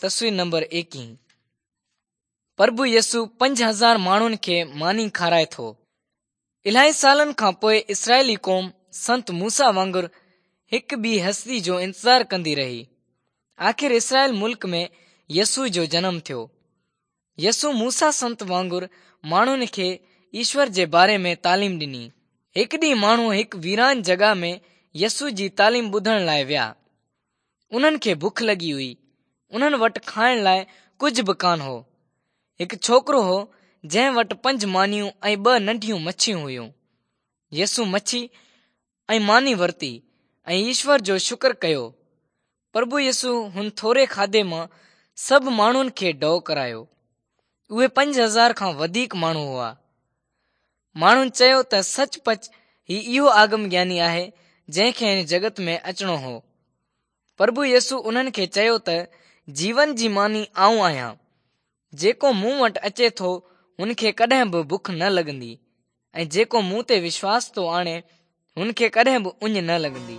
تصوير نمبر ايڪيهه، پرڀو يسوع 5000 ماڻهن کي ماني کارائي ٿو. الاهي سالن کان پوء اسرائيلي قوم سنت موسيٰ وانگر هڪ ٻي هستي جو انتظار ڪندي رهي. آخر اسرائيل ملڪ ۾ يسوع جو جنم ٿيو. يسوع موسيٰ سنت وانگر ماڻهن کي ايشور جي باري ۾ تعليم ڏني. هڪ ڏينهن ماڻهو هڪ ويران جڳهه ۾ يسوع جي تعليم ٻڌڻ لاء ويا. انهن کي بک لڳي هئي. انهن وٽ کائڻ لاء ڪجهه به ڪانه هو. هڪ ڇوڪرو هو جنهن وٽ پنج مانيون ۽ ٻه ننڍيون مڇيون هيون. يسوع مڇي ۽ ماني ورتي ۽ ايشور جو شڪر ڪيو. پرڀو يسوع هن ٿوري کاڌي مان سڀ ماڻهن کي ڍؤ ڪرايو. اهي 5000 کان وڌيڪ ماڻهو هئا. ماڻهن چيو ته سچ پچ هي اهو آگم گياني آهي جنهن کي هن جڳت ۾ اچڻو هو. پرڀو يسوع انهن کي چيو ته جيون جي ماني آئون آهيان. جيڪو مون وٽ اچي ٿو هن کي ڪڏهن به بک نه لڳندي ۽ جيڪو مون تي وشواس ٿو آڻي هن کي ڪڏهن به اڃ نه لڳندي.